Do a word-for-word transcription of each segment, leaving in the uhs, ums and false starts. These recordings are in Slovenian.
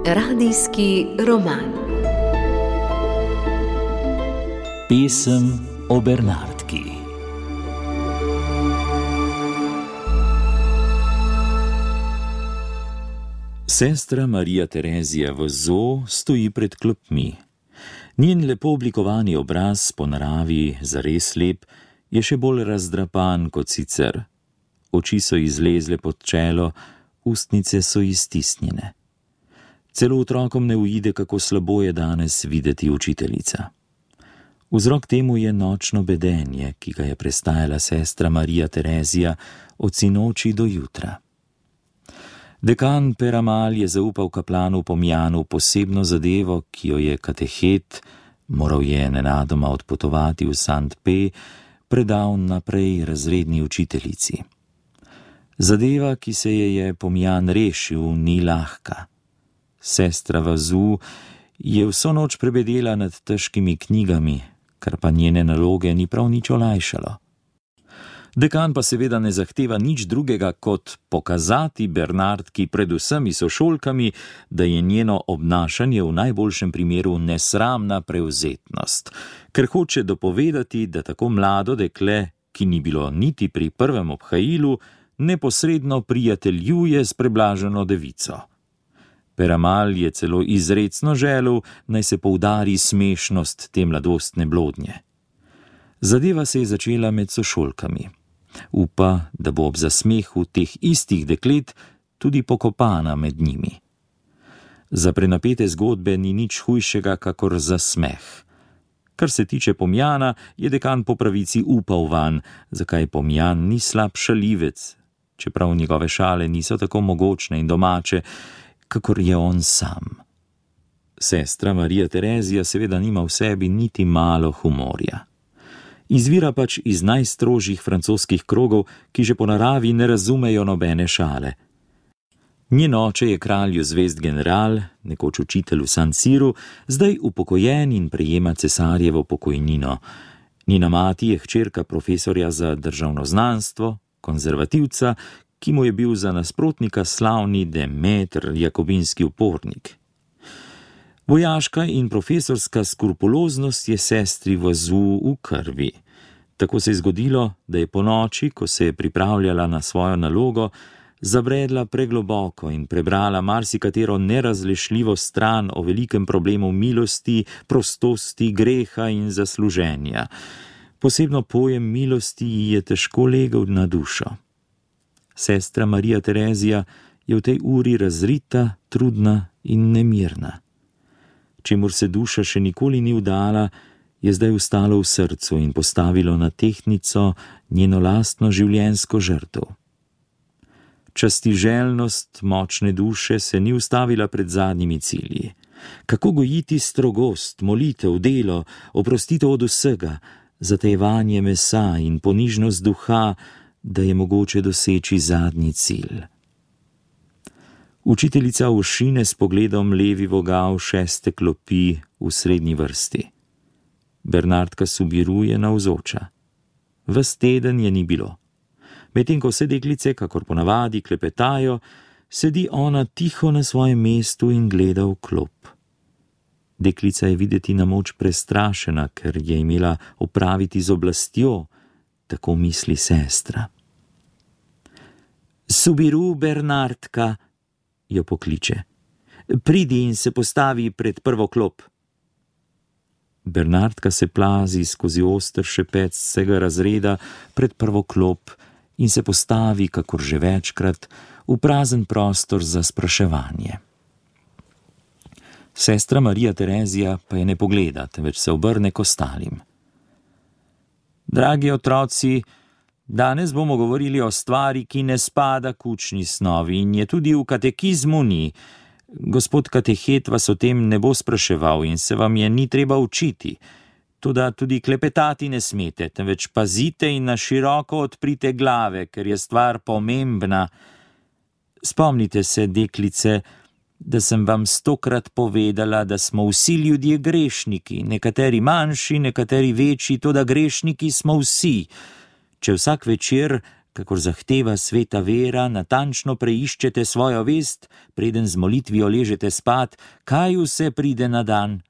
Radijski roman. Pesem o Bernardki. Sestra Marija Terezija Vozo stoji pred klopmi. Njen lepo oblikovani obraz, po naravi zares lep, je še bolj razdrapan kot sicer. Oči so izlezle pod čelo, ustnice so iztisnjene. Celo otrokom ne uide, kako slabo je danes videti učiteljica. Vzrok temu je nočno bedenje, ki ga je prestajala sestra Marija Terezija od sinoči do jutra. Dekan Peramal je zaupal kaplanu Pomjanu posebno zadevo, ki jo je katehet, moral je nenadoma odpotovati v Sankt Pe, predal naprej razredni učiteljici. Zadeva, ki se je je Pomjan rešil, ni lahka. Sestra Vozo je vso noč prebedela nad težkimi knjigami, kar pa njene naloge ni prav nič olajšalo. Dekan pa seveda ne zahteva nič drugega, kot pokazati Bernardki pred vsemi sošolkami, da je njeno obnašanje v najboljšem primeru nesramna prevzetnost, ker hoče dopovedati, da tako mlado dekle, ki ni bilo niti pri prvem obhajilu, neposredno prijateljuje s preblaženo devico. Peramal je celo izrecno želel, naj se poudari smešnost te mladostne blodnje. Zadeva se je začela med sošolkami. Upa, da bo ob zasmehu teh istih deklet tudi pokopana med njimi. Za prenapete zgodbe ni nič hujšega, kakor za smeh. Kar se tiče Pomjana, je dekan po pravici upal vanj, zakaj Pomjan ni slab šalivec, čeprav njegove šale niso tako mogočne in domače, kakor je on sam. Sestra Marija Terezija seveda nima v sebi niti malo humorja. Izvira pač iz najstrožjih francoskih krogov, ki že po naravi ne razumejo nobene šale. Njen oče je kralju zvezd general, nekoč učitelj v San Siru, zdaj upokojen in prejema cesarjevo pokojnino. Njena mati je hčerka profesorja za državnoznanstvo, konzervativca, ki mu je bil za nasprotnika slavni Demeter, jakobinski upornik. Vojaška in profesorska skrupuloznost je sestri Vozo v krvi. Tako se je zgodilo, da je po noči, ko se je pripravljala na svojo nalogo, zabredla pregloboko in prebrala marsikatero nerazrešljivo stran o velikem problemu milosti, prostosti, greha in zasluženja. Posebno pojem milosti ji je težko legel na dušo. Sestra Marija Terezija je v tej uri razrita, trudna in nemirna. Čemur se duša še nikoli ni vdala, je zdaj ustalo v srcu in postavilo na tehtnico njeno lastno življenjsko žrtev. Častiželjnost močne duše se ni ustavila pred zadnjimi cilji. Kako gojiti strogost, molitev, delo, oprostitev od vsega, zatajevanje mesa in ponižnost duha, da je mogoče doseči zadnji cilj. Učiteljica ošine s pogledom levi vogal šeste klopi v srednji vrsti. Bernardka Subiru je navzoča. Ves teden je ni bilo. Medtem ko vse deklice, kakor ponavadi, klepetajo, sedi ona tiho na svojem mestu in gleda v klop. Deklica je videti na moč prestrašena, ker je imela opraviti z oblastjo, tako misli sestra. Subiru, Bernardka, jo pokliče. Pridi in se postavi pred prvo klop. Bernardka se plazi skozi oster šepec vsega razreda pred prvo klop in se postavi, kakor že večkrat, v prazen prostor za spraševanje. Sestra Marija Terezija pa je ne pogleda, temveč se obrne k ostalim. Dragi otroci, danes bomo govorili o stvari, ki ne spada k učni snovi in je tudi v katekizmu ni. Gospod katehet vas o tem ne bo spraševal in se vam je ni treba učiti. Toda tudi klepetati ne smete, temveč pazite in na široko odprite glave, ker je stvar pomembna. Spomnite se, deklice, da sem vam stokrat povedala, da smo vsi ljudje grešniki, nekateri manjši, nekateri večji, toda grešniki smo vsi. Če vsak večer kakor zahteva sveta vera, natančno preiščete svojo vest, preden z molitvijo ležete spat, kaj vse pride na dan.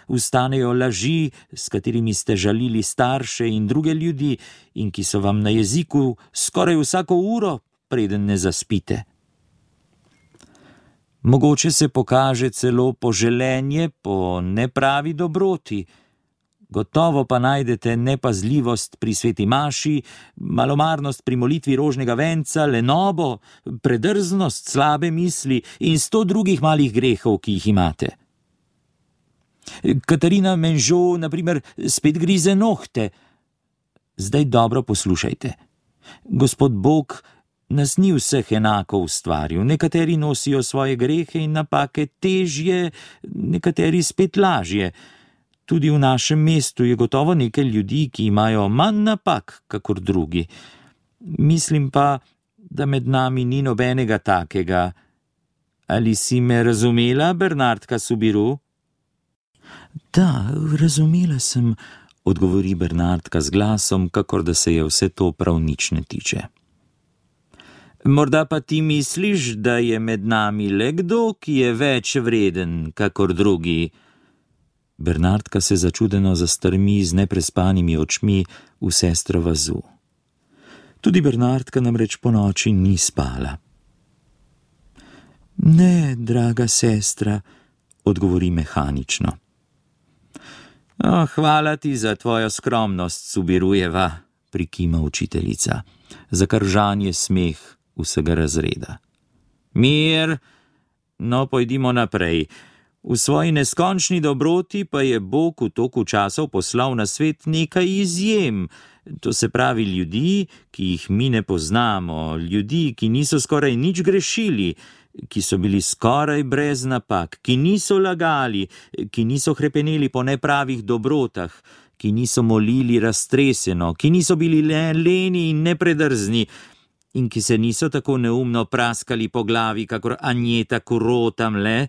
Vstanejo laži, s katerimi ste žalili starše in druge ljudi in ki so vam na jeziku skoraj vsako uro, preden ne zaspite. Mogoče se pokaže celo poželenje po nepravi dobroti. Gotovo pa najdete nepazljivost pri sveti maši, malomarnost pri molitvi rožnega venca, lenobo, predrznost, slabe misli in sto drugih malih grehov, ki jih imate. Katarina Menžo, na primer, spet grize nohte. Zdaj dobro poslušajte. Gospod Bog nas ni vseh enako ustvaril. Nekateri nosijo svoje grehe in napake težje, nekateri spet lažje. Tudi v našem mestu je gotovo nekaj ljudi, ki imajo manj napak, kakor drugi. Mislim pa, da med nami ni nobenega takega. Ali si me razumela, Bernardka Subiru? Da, razumela sem, odgovori Bernardka z glasom, kakor da se je vse to prav nič ne tiče. Morda pa ti misliš, da je med nami le kdo, ki je več vreden, kakor drugi? Bernardka se začudeno zastrmi z neprespanimi očmi v sestro vazu. Tudi Bernardka namreč ponoči ni spala. Ne, draga sestra, odgovori mehanično. Oh, hvala ti za tvojo skromnost, Subirujeva, prikima učiteljica, za kar žanje smeh vsega razreda. Mir, no pojdimo naprej. V svoji neskončni dobroti pa je Bog v toku časov poslal na svet nekaj izjem, to se pravi ljudi, ki jih mi ne poznamo, ljudi, ki niso skoraj nič grešili, ki so bili skoraj brez napak, ki niso lagali, ki niso hrepeneli po nepravih dobrotah, ki niso molili raztreseno, ki niso bili le leni in nepredrzni in ki se niso tako neumno praskali po glavi, kakor Anjeta Kuro tamle.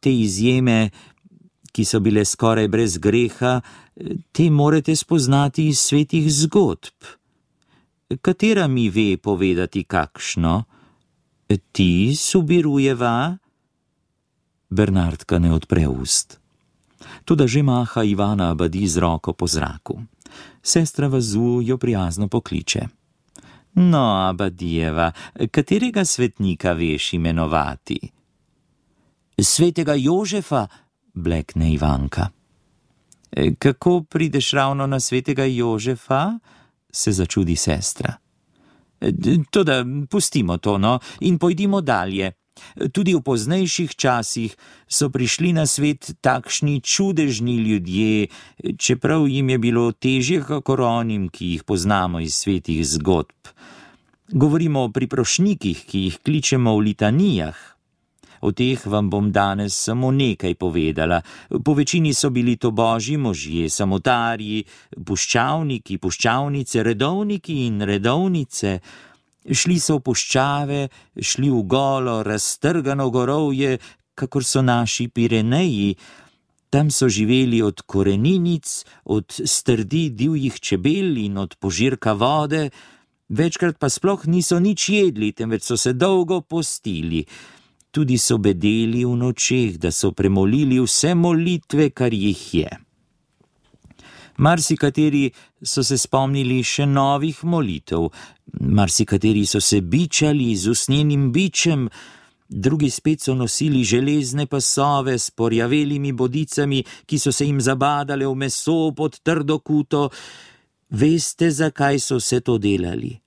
Te izjeme, ki so bile skoraj brez greha, te morate spoznati iz svetih zgodb. Katera mi ve povedati kakšno? Ti, Subirujeva? Bernardka ne odpre ust. Toda že maha Ivana Abadi z roko po zraku. Sestra vazu jo prijazno pokliče. No, Abadijeva, katerega svetnika veš imenovati? Svetega Jožefa, blekne Ivanka. Kako prideš ravno na svetega Jožefa? Se začudi sestra. Toda pustimo to, no, in pojdimo dalje. Tudi v poznejših časih so prišli na svet takšni čudežni ljudje, čeprav jim je bilo težje kakor onim, ki jih poznamo iz svetih zgodb. Govorimo o priprošnikih, ki jih kličemo v litanijah. O teh vam bom danes samo nekaj povedala. Po večini so bili to božji možje, samotarji, puščavniki, puščavnice, redovniki in redovnice. Šli so v puščave, šli v golo, raztrgano gorovje, kakor so naši Pireneji. Tam so živeli od koreninic, od strdi divjih čebel in od požirka vode. Večkrat pa sploh niso nič jedli, temveč so se dolgo postili. Tudi so bedeli v nočeh, da so premolili vse molitve, kar jih je. Marsikateri so se spomnili še novih molitev, marsikateri so se bičali z usnjenim bičem, drugi spet so nosili železne pasove s porjavelimi bodicami, ki so se jim zabadale v meso pod trdo kuto. Veste, zakaj so vse to delali?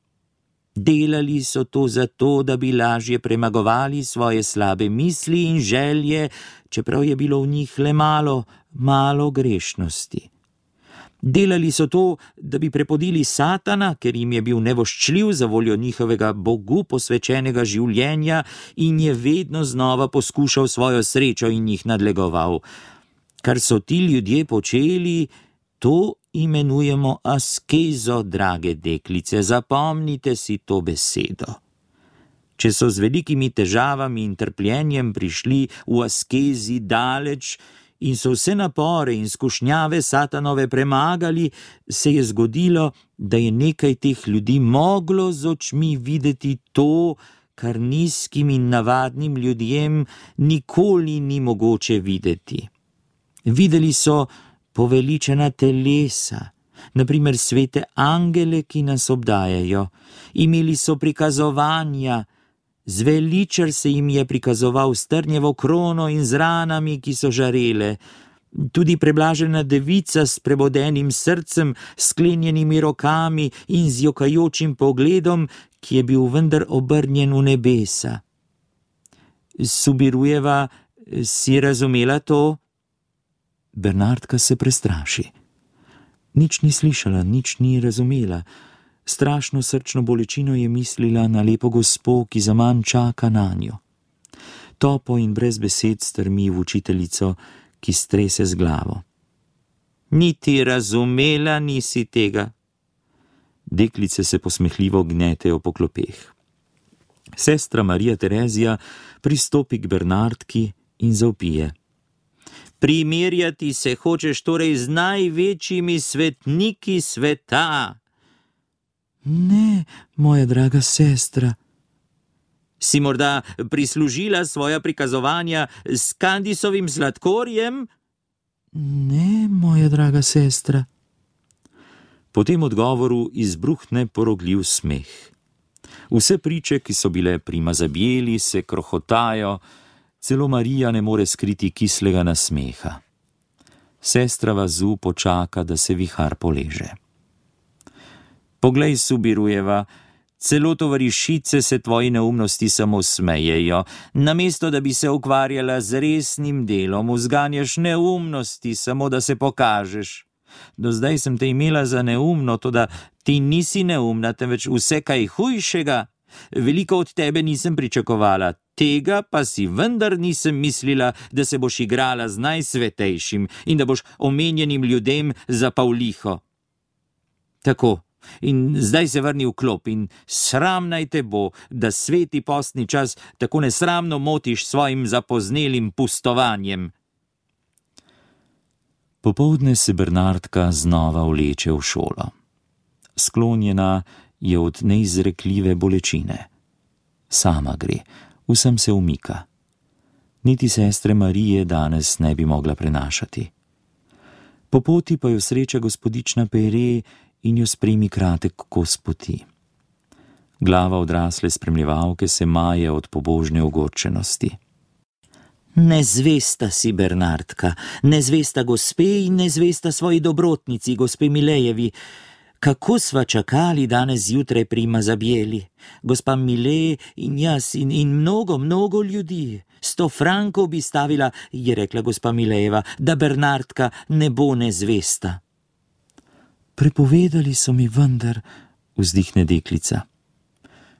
Delali so to zato, da bi lažje premagovali svoje slabe misli in želje, čeprav je bilo v njih le malo, malo grešnosti. Delali so to, da bi prepodili Satana, ker jim je bil nevoščljiv za voljo njihovega Bogu posvečenega življenja in je vedno znova poskušal svojo srečo in jih nadlegoval. Kar so ti ljudje počeli, to imenujemo askezo, drage deklice, zapomnite si to besedo. Če so z velikimi težavami in trpljenjem prišli v askezi daleč in so vse napore in skušnjave Satanove premagali, se je zgodilo, da je nekaj teh ljudi moglo z očmi videti to, kar nizkim in navadnim ljudem nikoli ni mogoče videti. Videli so poveličena telesa, naprimer svete angele, ki nas obdajajo. Imeli so prikazovanja, zveličar se jim je prikazoval s trnjevo krono in z ranami, ki so žarele. Tudi preblažena devica s prebodenim srcem, sklenjenimi rokami in z jokajočim pogledom, ki je bil vendar obrnjen v nebesa. Subirujeva, si razumela to? Bernardka se prestraši. Nič ni slišala, nič ni razumela. Strašno srčno bolečino je mislila na lepo gospo, ki zaman čaka nanjo. Topo in brez besed strmi v učiteljico, ki strese z glavo. Niti razumela nisi tega. Deklice se posmehljivo gnetejo po klopeh. Sestra Marija Terezija pristopi k Bernardki in zavpije. Primerjati se hočeš torej z največjimi svetniki sveta. Ne, moja draga sestra. Si morda prislužila svoja prikazovanja s Kandisovim sladkorjem? Ne, moja draga sestra. Po tem odgovoru izbruhne porogljiv smeh. Vse priče, ki so bile prima zabijeli, se krohotajo, celo Marija ne more skriti kislega nasmeha. Sestra Vazu počaka, da se vihar poleže. Poglej, Subirujeva, celo tovarišice se tvoji neumnosti samo smejejo. Namesto, da bi se ukvarjala z resnim delom, vzganjaš neumnosti, samo da se pokažeš. Do zdaj sem te imela za neumno, toda ti nisi neumna, temveč vse kaj hujšega. Veliko od tebe nisem pričakovala, tega pa si vendar nisem mislila, da se boš igrala z najsvetejšim in da boš omenjenim ljudem za pavliho. Tako, in zdaj se vrni v klop in sram naj te bo, da sveti postni čas tako nesramno motiš svojim zapoznelim pustovanjem. Popoldne se Bernardka znova vleče v šolo. Sklonjena je od neizrekljive bolečine. Sama gre, vsem se umika. Niti sestre Marije danes ne bi mogla prenašati. Po poti pa jo sreča gospodična Pere in jo spremi kratek kos poti. Glava odrasle spremljevalke se maje od pobožne ogorčenosti. Nezvesta si, Bernardka, nezvesta gospe in nezvesta svoji dobrotnici, gospe Milejevi. Kako sva čakali danes zjutraj prima zabijeli? Gospa Mile in jaz in, in mnogo, mnogo ljudi. Sto frankov bi stavila, je rekla gospa Milejeva, da Bernardka ne bo nezvesta. Prepovedali so mi vendar, vzdihne deklica.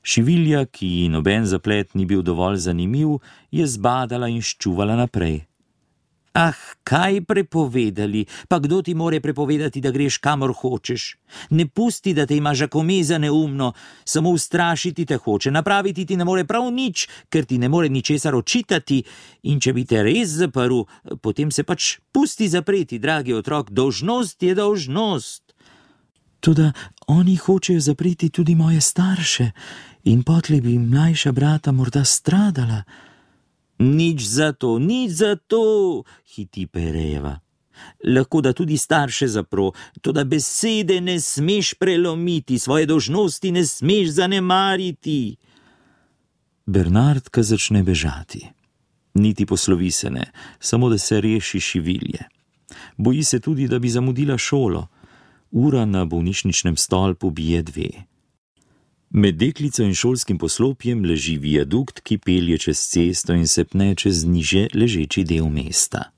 Šivilja, ki ji noben zaplet ni bil dovolj zanimiv, je zbadala in ščuvala naprej. Ah, kaj prepovedali? Pa kdo ti more prepovedati, da greš kamor hočeš? Ne pusti, da te ima žakome za neumno, samo ustrašiti te hoče, napraviti ti ne more prav nič, ker ti ne more ničesar očitati, in če bi te res zaprl, potem se pač pusti zapreti, dragi otrok, dolžnost je dolžnost. Toda oni hočejo zapreti tudi moje starše in potlej bi mlajša brata morda stradala. Nič za to, nič za to, hiti Perejeva. Lahko da tudi starše zapro, toda besede ne smeš prelomiti, svoje dolžnosti ne smeš zanemariti. Bernardka začne bežati. Niti poslovi se ne, samo da se reši Šivilje. Boji se tudi, da bi zamudila šolo. Ura na bolnišničnem stolpu bije dve. Med deklico in šolskim poslopjem leži viadukt, ki pelje čez cesto in se pne čez niže ležeči del mesta.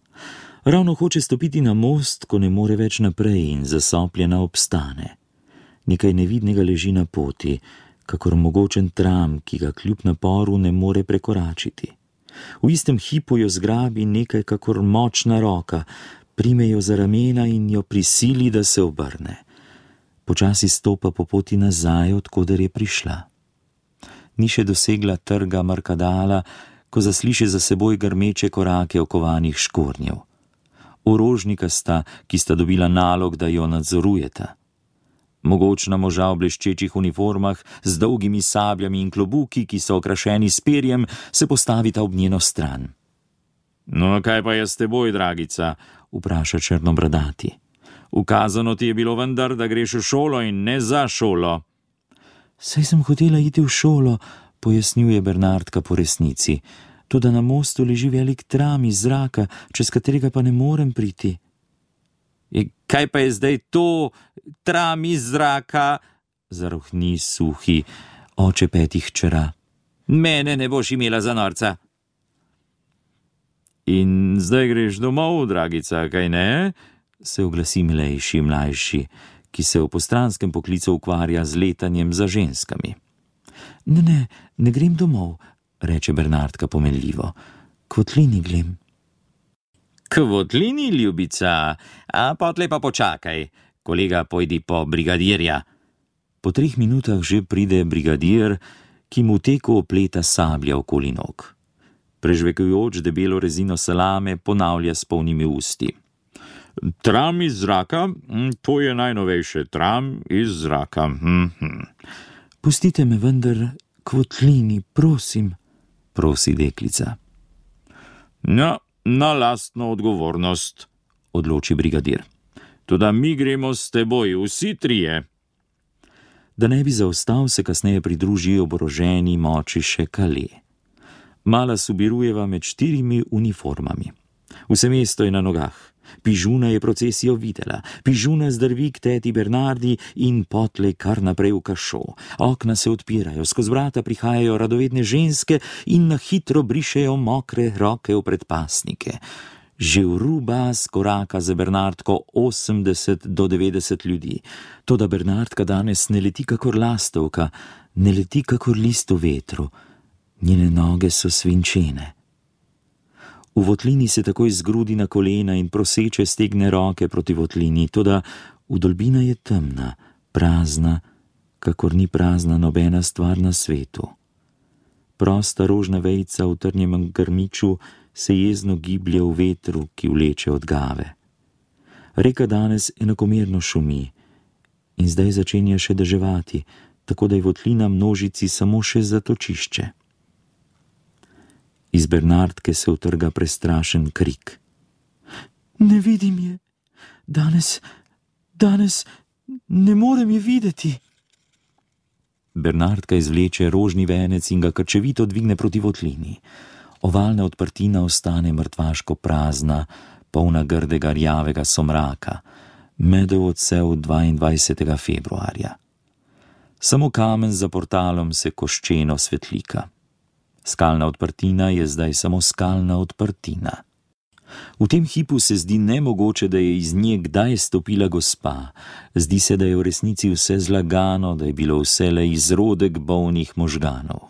Ravno hoče stopiti na most, ko ne more več naprej in zasopljena obstane. Nekaj nevidnega leži na poti, kakor mogočen tram, ki ga kljub naporu ne more prekoračiti. V istem hipu jo zgrabi nekaj kakor močna roka, prime jo za ramena in jo prisili, da se obrne. Počasi stopa po poti nazaj, odkoder je prišla. Ni še dosegla trga Markadala, ko zasliši za seboj grmeče korake okovanih škornjev. orožnika sta, ki sta dobila nalog, da jo nadzorujeta. Mogočna moža v bleščečih uniformah z dolgimi sabljami in klobuki, ki so okrašeni s perjem, se postavita ob njeno stran. No, kaj pa je s teboj, dragica? Vpraša črnobradati. Ukazano ti je bilo vendar, da greš v šolo in ne za šolo. Saj sem hotela iti v šolo, pojasnjuje Bernardka po resnici. Toda na mostu leži velik tram iz zraka, čez katerega pa ne morem priti. E, kaj pa je zdaj to, tram iz zraka? Zarohni suhi oče petih hčera. Mene ne boš imela za norca. In zdaj greš domov, dragica, kaj ne? Se oglasi milejši mlajši, ki se v postranskem poklicu ukvarja z letanjem za ženskami. Ne, ne, ne grem domov, reče Bernardka pomenljivo. K votlini grem. K votlini, ljubica? A potlej pa počakaj. Kolega, pojdi po brigadirja. Po treh minutah že pride brigadir, ki mu teku opleta sablja okoli nog. Prežvekujoč debelo rezino salame ponavlja s polnimi usti. Tram iz zraka? To je najnovejše. Tram iz zraka. Hm-hm. Pustite me vendar k votlini, prosim, prosi deklica. No, na lastno odgovornost, odloči brigadir. Toda mi gremo s teboj, vsi trije. Da ne bi zaostal, se kasneje pridruži oboroženi moči še Kale. Mala Subirujeva med štirimi uniformami. Vse mesto je na nogah. Pižuna je procesijo videla. Pižuna zdrvi k teti Bernardi in potlej kar naprej v kašo. Okna se odpirajo, skozi vrata prihajajo radovedne ženske in na hitro brišejo mokre roke v predpasnike. Že v ruba skoraka za Bernardko osemdeset do devetdeset ljudi. Toda Bernardka danes ne leti kakor lastovka, ne leti kakor list v vetru. Njene noge so svinčene. V votlini se takoj zgrudi na kolena in proseče stegne roke proti votlini, toda vdolbina je temna, prazna, kakor ni prazna nobena stvar na svetu. Prosta rožna vejica v trnjem grmiču se jezno giblje v vetru, ki vleče od gave. Reka danes enakomerno šumi in zdaj začenja še deževati, tako da je votlina množici samo še zatočišče. Iz Bernardke se utrga prestrašen krik. Ne vidim je. Danes, danes ne morem je videti. Bernardka izvleče rožni venec in ga krčevito dvigne proti votlini. Ovalna odprtina ostane mrtvaško prazna, polna grdega rjavega somraka, medov odsev dvaindvajsetega februarja. Samo kamen za portalom se koščeno svetlika. Skalna odprtina je zdaj samo skalna odprtina. V tem hipu se zdi nemogoče, da je iz nje kdaj stopila gospa. Zdi se, da je v resnici vse zlagano, da je bilo vselej izrodek bolnih možganov.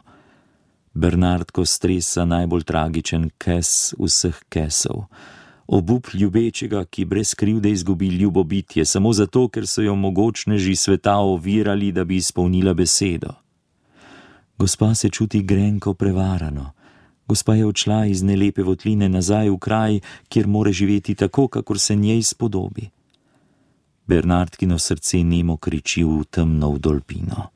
Bernardko stresa najbolj tragičen kes vseh kesov. Obup ljubečega, ki brez krivde izgubi ljubobitje, samo zato, ker so jo mogočneži sveta ovirali, da bi izpolnila besedo. Gospa se čuti grenko prevarano. Gospa je odšla iz nelepe votline nazaj v kraj, kjer more živeti tako, kakor se njej spodobi. Bernardkino srce nemo kriči v temno vdolbino.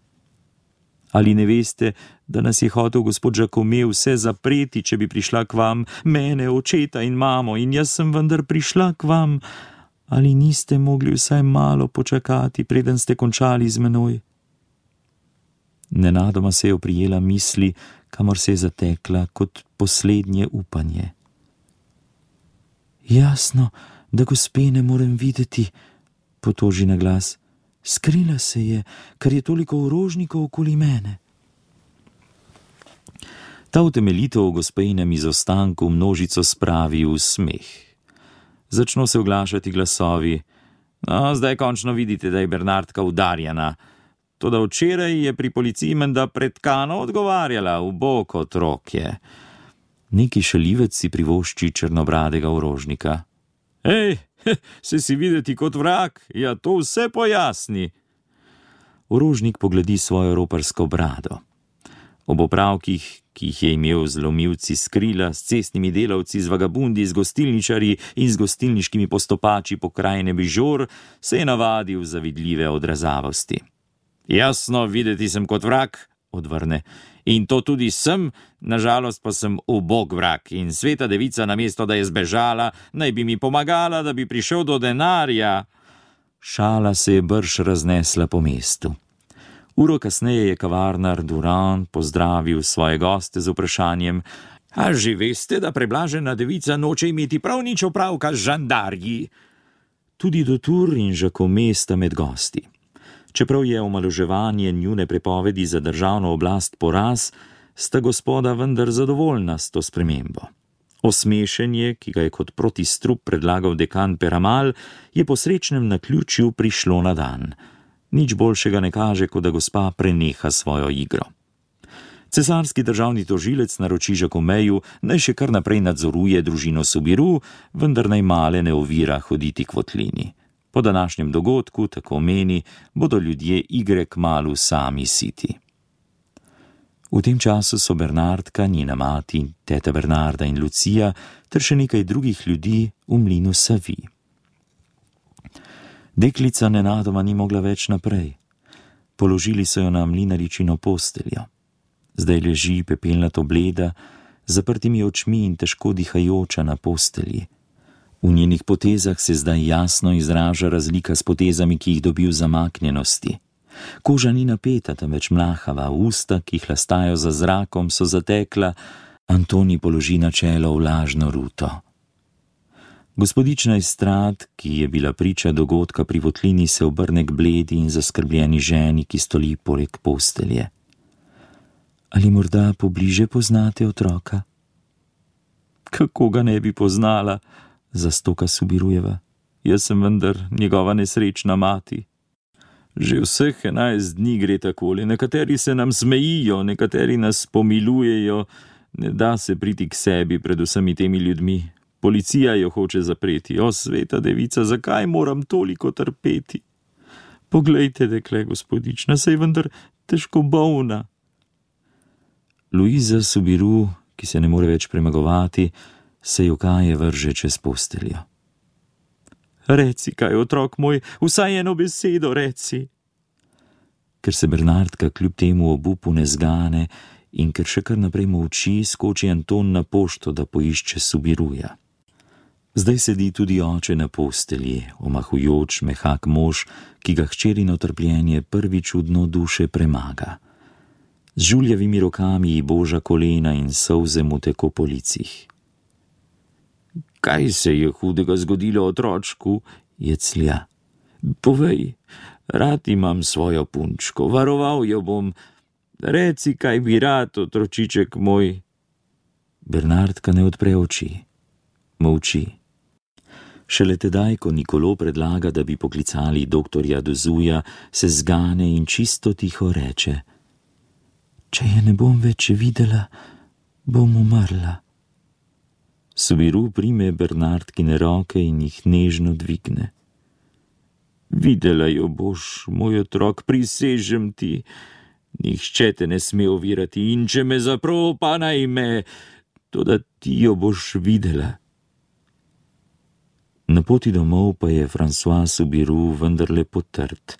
Ali ne veste, da nas je hotel gospod Žakome vse zapreti, če bi prišla k vam, mene, očeta in mamo, in jaz sem vendar prišla k vam. Ali niste mogli vsaj malo počakati, preden ste končali z menoj? Nenadoma se je oprijela misli, kamor se je zatekla kot poslednje upanje. Jasno, da gospe ne morem videti, potoži na glas. Skrila se je, ker je toliko orožnikov okoli mene. Ta utemeljitev o gospejnem izostanku množico spravi v smeh. Začno se oglašati glasovi. No, zdaj končno vidite, da je Bernardka udarjena. Toda včeraj je pri policiji menda pretkano odgovarjala, v bok otrok je. Neki šalivec si privošči črnobradega orožnika. Ej, se si videti kot vrag, ja to vse pojasni. Orožnik pogledi svojo roparsko brado. Ob opravkih, ki jih je imel z lomilci s krila, s cestnimi delavci, z vagabundi, z gostilničarji in z gostilniškimi postopači pokrajine Bižor, se je navadil zavidljive odrazavosti. Jasno, videti sem kot vrag, odvrne, in to tudi sem, nažalost pa sem ubog vrag in sveta devica, namesto da je zbežala, naj bi mi pomagala, da bi prišel do denarja. Šala se je brž raznesla po mestu. Uro kasneje je kavarnar Durand pozdravil svoje goste z vprašanjem: A že veste, da preblažena devica noče imeti prav nič opravka z žandarji? Tudi Dutour in Jacome sta med gosti. Čeprav je omaloževanje njune prepovedi za državno oblast poraz, sta gospoda vendar zadovoljna s to spremembo. Osmešenje, ki ga je kot protistrup predlagal dekan Peramal, je po srečnem naključju prišlo na dan. Nič boljšega ne kaže, kot da gospa preneha svojo igro. Cesarski državni tožilec naroči Jacomeju, naj še kar naprej nadzoruje družino Subiru, vendar naj male ne ovira hoditi k votlini. Po današnjem dogodku, tako meni, bodo ljudje igre kmalu sami siti. V tem času so Bernardka, njena mati, teta Bernarda in Lucija ter še nekaj drugih ljudi v mlinu Savi. Deklica nenadoma ni mogla več naprej. Položili so jo na mlinaričino posteljo. Zdaj leži pepelnato bleda, z zaprtimi očmi in težko dihajoča na postelji. V njenih potezah se zdaj jasno izraža razlika s potezami, ki jih dobi v zamaknjenosti. Koža ni napeta, temveč mlahava, usta, ki hlastajo za zrakom, so zatekla, Antoni položi na čelo vlažno ruto. Gospodična Estrad, ki je bila priča dogodka pri votlini, se obrne k bledi in zaskrbljeni ženi, ki stoli poleg postelje. Ali morda pobliže poznate otroka? Kako ga ne bi poznala, zastoka Subirujeva. Jaz sem vendar njegova nesrečna mati. Že vseh enajst dni gre takole, nekateri se nam smejijo, nekateri nas pomilujejo, ne da se priti k sebi pred vsemi temi ljudmi. Policija jo hoče zapreti. O, sveta devica, zakaj moram toliko trpeti? Poglejte, dekle, gospodična, saj vendar težko bolna. Luiza Subiru, ki se ne more več premagovati, se jokaje vrže čez posteljo. Reci kaj, otrok moj, vsaj eno besedo reci. Ker se Bernardka kljub temu obupu ne zgane in ker še kar naprej molči, skoči Anton na pošto, da poišče Subiruja. Zdaj sedi tudi oče na postelji, omahujoč, mehak mož, ki ga hčerino trpljenje prvič v dno duše premaga. Z žuljavimi rokami ji boža kolena in solze mu teko po licih. Kaj se je hudega zgodilo otročku? Jeclja. Povej, rad imam svojo punčko, varoval jo bom. Reci, kaj bi rad, otročiček moj. Bernardka ne odpre oči. Molči. Šele tedaj, ko Nikolo predlaga, da bi poklicali doktorja Dozuja, se zgane in čisto tiho reče: Če je ne bom več videla, bom umrla. Subiru prime Bernardkine roke in jih nežno dvigne. Videla jo boš, moj otrok, prisežem ti. Nihče te ne sme ovirati in če me zapro, pa naj me, toda ti jo boš videla. Na poti domov pa je François Subiru vendarle potrt,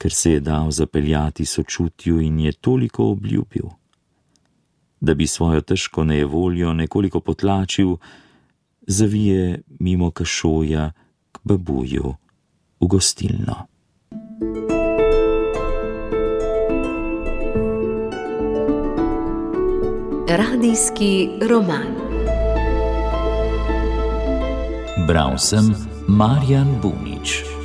ker se je dal zapeljati sočutju in je toliko obljubil. Da bi svojo težko nejevoljo nekoliko potlačil, zavije mimo Kašoja k babuju v gostilno. Radijski roman. Bral sem Marjan Bunič.